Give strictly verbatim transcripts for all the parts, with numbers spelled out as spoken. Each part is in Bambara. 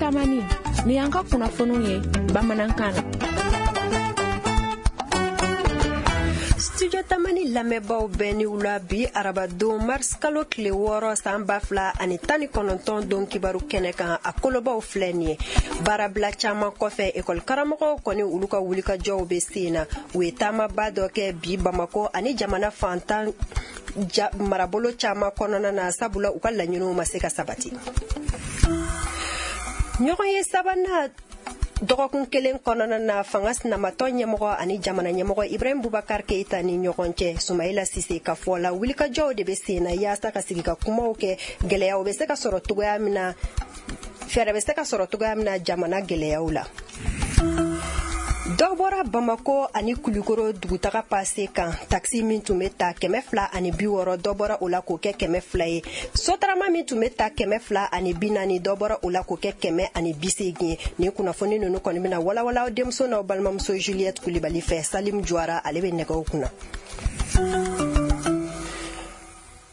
Tamani, ni y'an ka kunnafoniw ye bamanankan na. Studio Tamani lamɛnbaaw bɛɛ ni wula. Bi arabadon, mars kalo tile wɔɔrɔ, san ba fila ani tan ni kɔnɔntɔn don kibaru kɛnɛ kan, a kolobaw filɛ nin ye: baarabila caman kɔfɛ, ekɔli karamɔgɔw kɔni, olu ka wulikajɔw bɛ sen na. U ye taamaba dɔ kɛ bi Bamako ani jamana fantan ja, marabolo caman kɔnɔna na, sabula u ka laɲiniw ma se ka sabati. Ɲɔgɔn ye sabanan dɔgɔkun kelen kɔnɔna na, fanga sinamatɔ ɲɛmɔgɔ ani jamana ɲɛmɔgɔ Ibrahim Bubakar Keita ni ɲɔgɔn cɛ, Sumayila Sise ka fɔ la, wulikajɔw de bɛ sen na yaasa ka sigi ka kumaw kɛ, gɛlɛyaw bɛ se ka sɔrɔ togoya min na, fɛɛrɛ bɛ se ka sɔrɔ togoya min na jamana gɛlɛyaw la. Dɔ bɔra Bamako ani Kulikoro dugutaga pase kan. Takisi min tun bɛ ta kɛmɛ fila ani bi wɔɔrɔ, dɔ bɔra o la k'o kɛ kɛmɛ fila ye. Sotarama min tun bɛ ta kɛmɛ fila ani bi naani, dɔ bɔra o la k'o kɛ kɛmɛ ani bi seegin ye. Nin kunnafoni ninnu kɔni bɛna walawala denmuso n'aw balimamuso Juliette Kulibali fɛ. Salim Juwara, ale bɛ nɛgɛw kunna.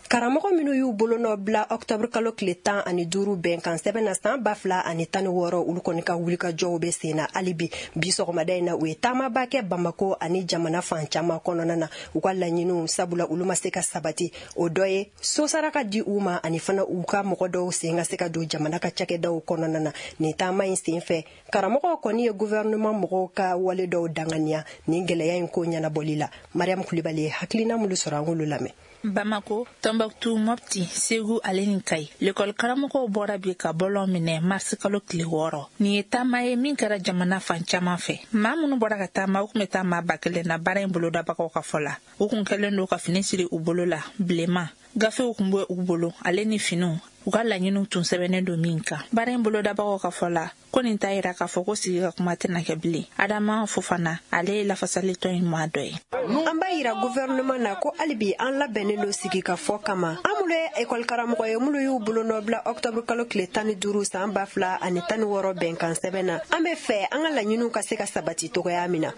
Karamɔgɔ minnu y'u bolonɔ bila ɔktɔburu kalo tile tan ani duuru bɛnkan sɛbɛn na san ba fila ani tan ni wɔɔrɔ, olu kɔni ka wulikajɔw bɛ sen na hali bi. Bi sɔgɔmada in na, u ye taamaba kɛ Bamako ani jamana fan caman kɔnɔna na. U ka laɲiniw, sabula olu ma se ka sabati, o dɔ ye sosara ka di u ma, ani fana u ka mɔgɔ dɔw sen ka se ka don jamana ka cakɛdaw kɔnɔna na. Nin taama in sen fɛ, karamɔgɔw kɔni ye gouvernement mɔgɔw ka wale dɔw danganiya nin gɛlɛya in ko ɲɛnabɔli la. Mariam Kulibali ye hakilina minnu sɔrɔ, an k'olu lamɛn. Bamako, Tɔnbɔkutu, Mɔpti, Segu ale ni Kayi, lekɔli karamɔgɔw bɔra bi ka bɔlɔn minɛ marisi kalo tile wɔɔrɔ. Nin ye taama ye min kɛra jamana fan caman fɛ. Maa minnu bɔra ka taama, u kun bɛ taa maa ba kelen na. Baara in bolodabagaw ka fɔ la, u kun kɛlen don ka fini siri u bolo la bilenman, gafew kun bɛ u bolo ale ni finiw, u ka laɲiniw tun sɛbɛnnen don min kan. Baara in bolodabagaw ka fɔ la ko nin t'a yira k'a fɔ ko sigi ka kuma tɛna kɛ bilen. Adama Fofana, ale ye lafasalitɔn in maa dɔ ye. An b'a yira gouvernement na ko hali bi an labɛnnen don sigi ka fɔ kama. An minnu ye ekɔli karamɔgɔ ye, minnu y'u bolonɔ bila ɔktɔburu kalo tile tan ni duuru san ba fila ani tan ni wɔɔrɔ bɛnkan sɛbɛn na, an bɛ fɛ an ka laɲiniw ka se ka sabati togoya min na.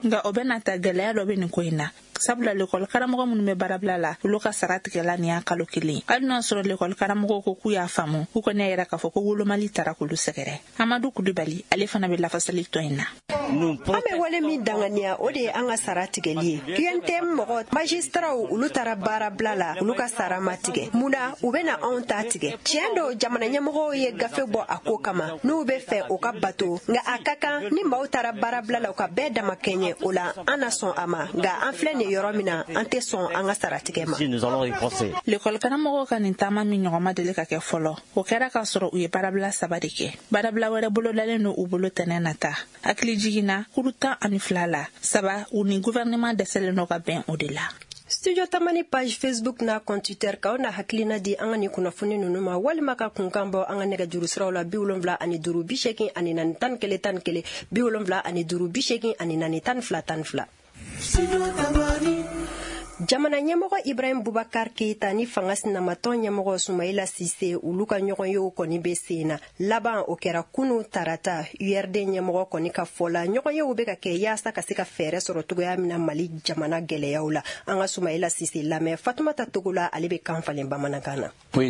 Nka o bɛna ta, gɛlɛya dɔ bɛ nin ko in na, sabula lekɔli karamɔgɔ minnu bɛ baarabila la, olu ka sara tigɛla nin y'a kalo kelen. Hali n'a sɔrɔ lekɔli karamɔgɔw ko k'u y'a faamu, u kɔni y'a yira k'a fɔ ko wolomali tara k'olu sɛgɛrɛ. Amadu Kulibali, ale fana bɛ lafasali tɔn in na. An bɛ wale min danganiya, o de ye an ka sara tigɛli ye. U N T M mɔgɔ magistraw, olu taara baarabila la, olu ka sara ma tigɛ. Mun na u bɛna anw ta tigɛ? Tiɲɛ don, jamana ɲɛmɔgɔw ye gafe bɔ a ko kama, n'u bɛ fɛ o ka bato, nka a ka kan ni maaw taara baarabila la, u ka bɛɛ dama kɛɲɛ. O la an na sɔn a ma, nka an filɛ nin yɔrɔ min na, an tɛ sɔn an ka sara tigɛ ma. Lekɔli karamɔgɔw ka nin taama min ɲɔgɔn ma deli ka kɛ fɔlɔ, o kɛra k'a sɔrɔ u ye baarabila saba de kɛ. Baarabila wɛrɛ bolodalen don u bolo tɛnɛ nata. Hakili jiginna kuru tan ani fila la, saba u ni gouvernement dɛsɛlen dɔ ka bɛn o de la. Studio Tamani page Facebook n'a compte Twitter, k'aw na hakilina di an ka nin kunnafoni ninnu ma, walima ka kunkan bɔ an ka nɛgɛjuru siraw la: bi wolonwula ani duuru bi seegin ani naani tan ni kelen tan ni kelen, bi wolonwula ani duuru bi seegin ani naani tan ni fila tan ni fila. Jamana ɲɛmɔgɔ Ibrahim Bubakar Keita ni fanga sinamatɔn ɲɛmɔgɔ Sumayila Sise, olu ka ɲɔgɔnyew kɔni bɛ sen na. Laban o kɛra kunu tarata. U R D ɲɛmɔgɔ kɔni ka fɔ la, ɲɔgɔnyew bɛ ka kɛ yaasa ka se ka fɛɛrɛ sɔrɔ togoya min na Mali jamana gɛlɛyaw la. An ka Sumayila Sise lamɛn. Fatumata Togola, ale bɛ kan falen bamanankan na. An ka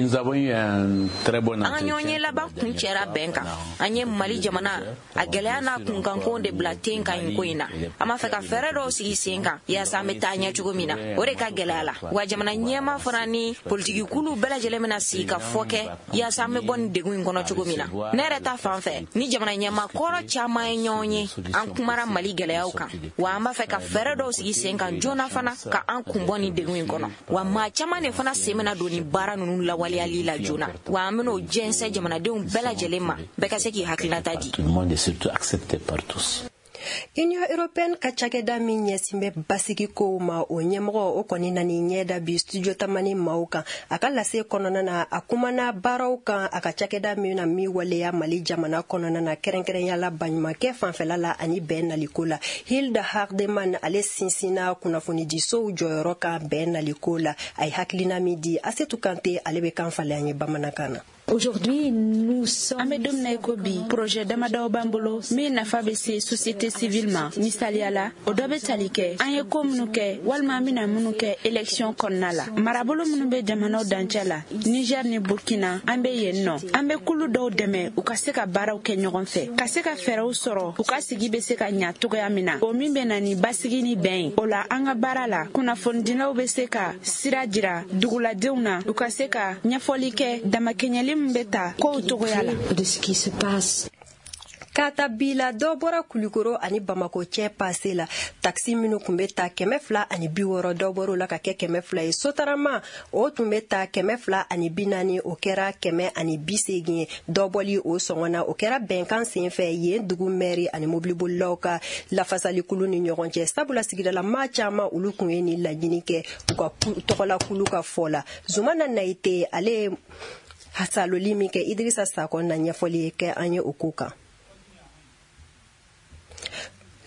ɲɔgɔnye laban kun cɛra bɛn kan. An ye Mali jamana a gɛlɛya n'a kunkanko de bila ten ka ɲi ko in na. An b'a fɛ ka fɛɛrɛ dɔw sigi sen kan yaasa an bɛ taa ɲɛ cogo min na. O de ka gɛlɛya la wa. Jamana ɲɛma fana ni politikikulu bɛɛ lajɛlen bɛna sigi ka fɔ kɛ yaasa an bɛ bɔ nin degun in kɔnɔ cogo min na. Ne yɛrɛ ta fan fɛ ni jamana ɲɛma kɔrɔ caman ye ɲɔgɔn ye, an kumara Mali gɛlɛyaw kan wa. An b'a fɛ ka fɛɛrɛ dɔw sigi sen kan joona fana ka an kun bɔ nin degun in kɔnɔ wa. Maa caman de fana sen bɛna don nin baara ninnu lawaleyali la joona wa. An bɛn'o jɛnsɛn jamanadenw bɛɛ lajɛlen ma, bɛɛ ka se k'i hakilinata di. Union européenne ka cakɛda min ɲɛsin bɛ basigi kow ma, o ɲɛmɔgɔ o kɔni nani ɲɛ da bi Studio Tamani maaw kan. A ka lase kɔnɔna na, a kumana baaraw kan a ka cakɛda min na min waleya Mali jamana kɔnɔna na, kɛrɛnkɛrɛnya la baɲumankɛ fanfɛla la ani bɛn naliko la. Hilda Hardeman, ale sinsinna kunnafonidisow jɔyɔrɔ kan bɛn naliko la. A ye hakilina min di, Asetu Kante, ale bɛ kan falen an ye bamanankan na. An bɛ don min na i ko bi, projet damadɔw b'an bolo min nafa bɛ se société civile ma. Misaliya la, o dɔ bɛ tali kɛ an ye ko minnu kɛ walima an bɛna minnu kɛ élection kɔnɔna la. Marabolo minnu bɛ jamanaw dancɛ la, Niger ni Burkina, an bɛ yen nɔ. An bɛ kulu dɔw dɛmɛ u ka se ka baaraw kɛ ɲɔgɔn fɛ, ka se ka fɛɛrɛw sɔrɔ u ka sigi bɛ se ka ɲa cogoya min na, o min bɛ na ni basigi ni bɛn ye. O la, an ka baara la, kunnafonidilaw bɛ se ka sira jira duguladenw na, u ka se ka ɲɛfɔli kɛ damakɛɲɛli min bɛ ta kow cogoya la. Ka ta bi la, dɔ bɔra Kulukoro ani Bamako cɛ pase la. Takisi minnu tun bɛ ta kɛmɛ fila ani bi wɔɔrɔ, dɔ bɔr'o la ka kɛ kɛmɛ fila ye. Sotarama o tun bɛ ta kɛmɛ fila ani bi naani, o kɛra kɛmɛ ani bi seegin ye. Dɔ bɔli o sɔngɔ na, o kɛra bɛnkan sen fɛ yen dugu mɛri ani mobilibolilaw ka lafasalikulu ni ɲɔgɔn cɛ. Sabula sigidala maa caman olu tun ye nin laɲini kɛ u ka tɔgɔlakulu ka fɔ la. Zumana Nayite ale ye saloli min kɛ, Idirisa Sakɔ na ɲɛfɔli kɛ an ye o ko kan.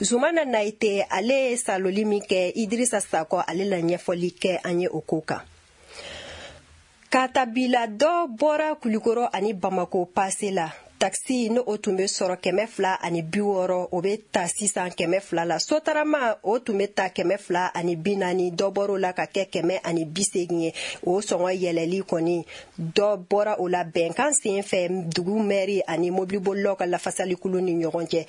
Zumana Nayite ale ye saloli min kɛ, Idirisa Sakɔ ale la ɲɛfɔli kɛ an ye o ko kan. Ka ta bi la, dɔ bɔra Kulukoro ani Bamako pase la. Takisi n'o o tun bɛ sɔrɔ kɛmɛ fila ani bi wɔɔrɔ, o bɛ ta sisan kɛmɛ fila la. Sotarama o tun bɛ ta kɛmɛ fila ani bi naani, dɔ bɔr'o la ka kɛ kɛmɛ ani bi seegin ye. O sɔngɔ yɛlɛli kɔni, dɔ bɔra o la bɛnkan sen fɛ dugu mɛri ani mobilibolilaw ka lafasalikulu ni ɲɔgɔn cɛ.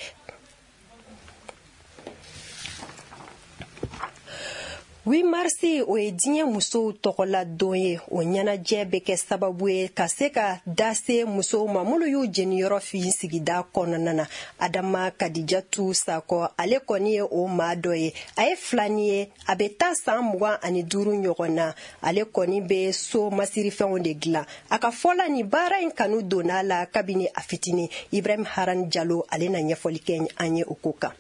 huit mars o ye diɲɛ musow tɔgɔla don ye. O ɲɛnajɛ bɛ kɛ sababu ye ka se ka da se musow ma minnu y'u jeniyɔrɔ fin sigida kɔnɔna na. Adama Kadijatu Sakɔ ale kɔni ye o maa dɔ ye. A ye filani ye, a bɛ taa san mugan ani duuru ɲɔgɔn na. Ale kɔni bɛ so masirifɛnw de dilan. A ka fɔ la, nin baara in kanu donna a la kabini a fitinin. Ibrahim Haran Jalo ale na ɲɛfɔli kɛ an ye o ko kan.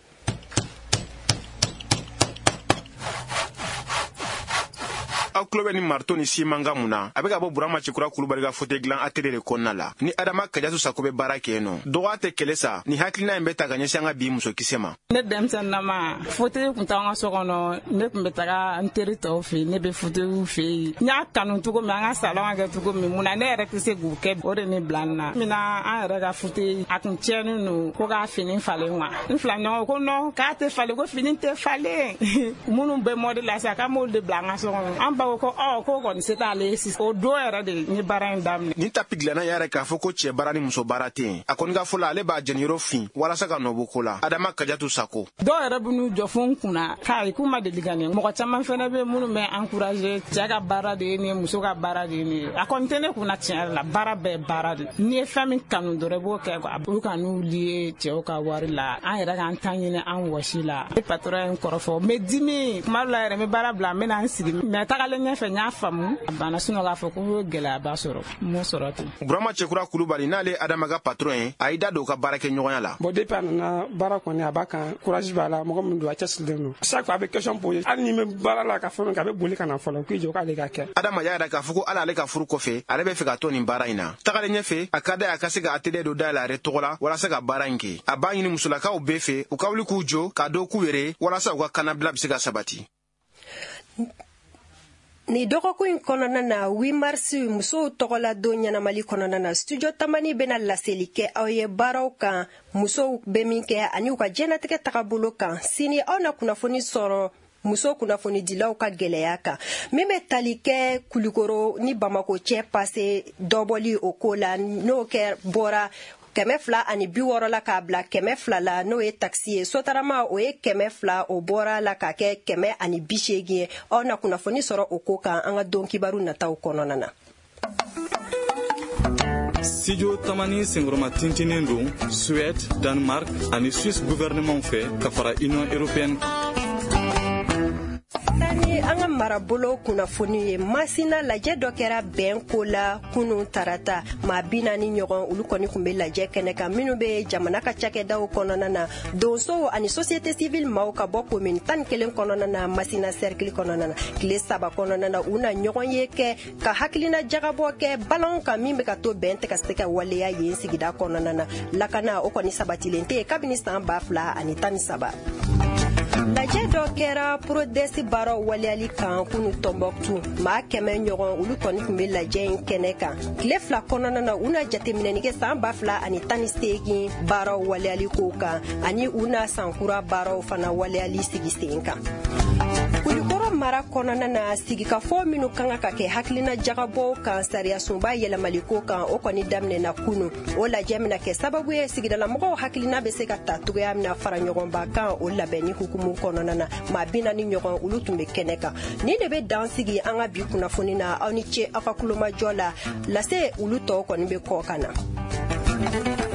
Aw tulo bɛ ni marito ni simankan mun na, a bɛ ka bɔ Burama Cɛkura Kulubali ka fauteuil dilan atelier de kɔnɔna la. Ni Adama Kajatu Sako bɛ baara kɛ yen nɔ. Dɔgɔya tɛ kɛlɛ sa, ni hakilina in bɛ ta ka ɲɛsin an ka bi musokisɛ ma. Ne denmisɛnninama, fauteuil tun t'an ka so kɔnɔ, ne tun bɛ taga n teri tɔw fɛ yen, ne bɛ fauteuil fɛ yen. N y'a kanu cogo min, an ka salon ka kɛ cogo min, mun na ne yɛrɛ tɛ se k'u kɛ, o de ne bila n na. Min na an yɛrɛ ka fauteuil a kun tiɲɛnen don, ko k'a fini falen wa. N fila ɲɔgɔn ko non, k'a tɛ falen, ko fini tɛ falen. Minnu bɛ mɔdi la sisan, k'an b'olu de bila an ka so kɔnɔ. An ba ko ɔ ko kɔni se t'ale ye sisan. O don yɛrɛ de n ye baara in daminɛ. Nin tapi dilanna yɛrɛ k'a fɔ ko cɛ baara ni muso baara tɛ yen. A kɔni ka fɔ la, ale b'a jeniyɔrɔ fin walasa ka nɔ bɔ ko la. Adama Kajatu Sako. Dɔw yɛrɛ bɛ n'u jɔ fo n kunna k'a ye k'u ma deli ka nin. Mɔgɔ caman fɛnɛ bɛ minnu bɛ encourager, cɛ ka baara de ye nin ye, muso ka baara de ye nin ye. A kɔni tɛ ne kunna tiɲɛ yɛrɛ la, baara bɛɛ baara de. N'i ye fɛn min kanu dɔrɔn i b'o kɛ quoi. Olu ka n'u lié cɛw ka wari la, an yɛrɛ k'an ta ɲini an wɔsi la. Ne patron ye n kɔrɔfɔ, n bɛ dimi kuma dɔ la yɛrɛ, n bɛ baara bila, n bɛ na n sigi. Mais tagalen ɲɛfɛ n y'a faamu, a banna sinɔ k'a fɔ ko gɛlɛyaba sɔrɔ, n m'o sɔrɔ ten. Burama Cɛkura Kulubali n'ale Adama ka patron ye, a y'i da don u ka baarakɛɲɔgɔnya la. Bon, depuis a nana baara kɔni a b'a kan, courage b'a la, mɔgɔ min don a cɛsirilen don. Chaque fois a bɛ question poser, hali ni bɛ baara la ka fɛn min kɛ, a bɛ boli ka na fɔlɔ k'i jɔ k'ale ka kɛ. Adama y'a jira k'a fɔ ko hali ale ka furu kɔfɛ, ale bɛ fɛ ka to nin baara in na. Tagalen ɲɛfɛ, a ka d'a ye a ka se ka atelier dɔ dayɛlɛ a yɛrɛ tɔgɔ la walasa ka baara in kɛ. A b'a ɲini musolakaw bɛɛ fɛ u ka wuli k'u jɔ k'a dɔn k'u yɛrɛ walasa u ka kannabila bɛ se ka sabati. Ni dɔgɔkun in kɔnɔna na, huit mars musow tɔgɔla don ɲɛnamali kɔnɔna na, studio Tamani bɛna laseli kɛ aw ye baaraw kan musow bɛ min kɛ ani u ka diɲɛnatigɛ tagabolo kan. Sini aw na kunnafoni sɔrɔ muso kunnafonidilaw ka gɛlɛya kan min bɛ tali kɛ Kulukoro ni Bamako cɛ pase dɔbɔli o ko la, n'o kɛ bɔra kɛmɛ fila ani bi wɔɔrɔ la k'a bila kɛmɛ fila la, n'o ye takisi ye. Sotarama o ye kɛmɛ fila, o bɔra la k'a kɛ kɛmɛ ani bi seegin ye. Aw na kunnafoni sɔrɔ o ko kan an ka don kibaru nataw kɔnɔna na. Studio Tamani senkɔrɔma tintinen don Suède, Danemark ani Suisse gouvernement fɛ ka fara Union européenne kan. Ni an ka marabolo kunnafoni ye, Masina lajɛ dɔ kɛra bɛn ko la kunun tarata. Maa bi naani ɲɔgɔn olu kɔni tun bɛ lajɛ kɛnɛ kan, minnu bɛ jamana ka cakɛdaw kɔnɔna na, donsow ani société civile maaw ka bɔ commune tan ni kelen kɔnɔna na, Masina cercle kɔnɔna na. Tile saba kɔnɔna na, u na ɲɔgɔn ye kɛ ka hakilina jagabɔ kɛ balanw kan min bɛ ka to bɛn tɛ ka se ka waleya yen sigida kɔnɔna na. Lakana o kɔni sabatilen tɛ yen kabini san ba fila ani tan ni saba. Lajɛ dɔ kɛra PRODES baaraw waleyali kan kunu Tɔnbɔkutu. Maa kɛmɛ ɲɔgɔn, olu kɔni tun bɛ lajɛ in kɛnɛ kan. Tile fila kɔnɔna na, u na jateminɛni kɛ san ba fila ani tan ni seegin baaraw waleyali ko kan, ani u na sankura baaraw fana waleyali sigi sen kan. Kulikɔrɔ mara kɔnɔna na, sigikafɔ minnu kan ka kɛ hakilina jagabɔw kan sariyasunba yɛlɛmaliko kan, o kɔni daminɛna kunu. O lajɛ bɛna kɛ sababu ye sigidalamɔgɔw hakilina bɛ se ka ta cogoya min na fara ɲɔgɔnba kan o labɛnni hukumu kɔnɔna na. Maa bi naani ɲɔgɔn, olu tun bɛ kɛnɛ kan. Nin de bɛ dan sigi an ka bi kunnafoni na. Aw ni ce aw ka kulomajɔ la. Lase olu tɔw kɔni bɛ kɔ ka na.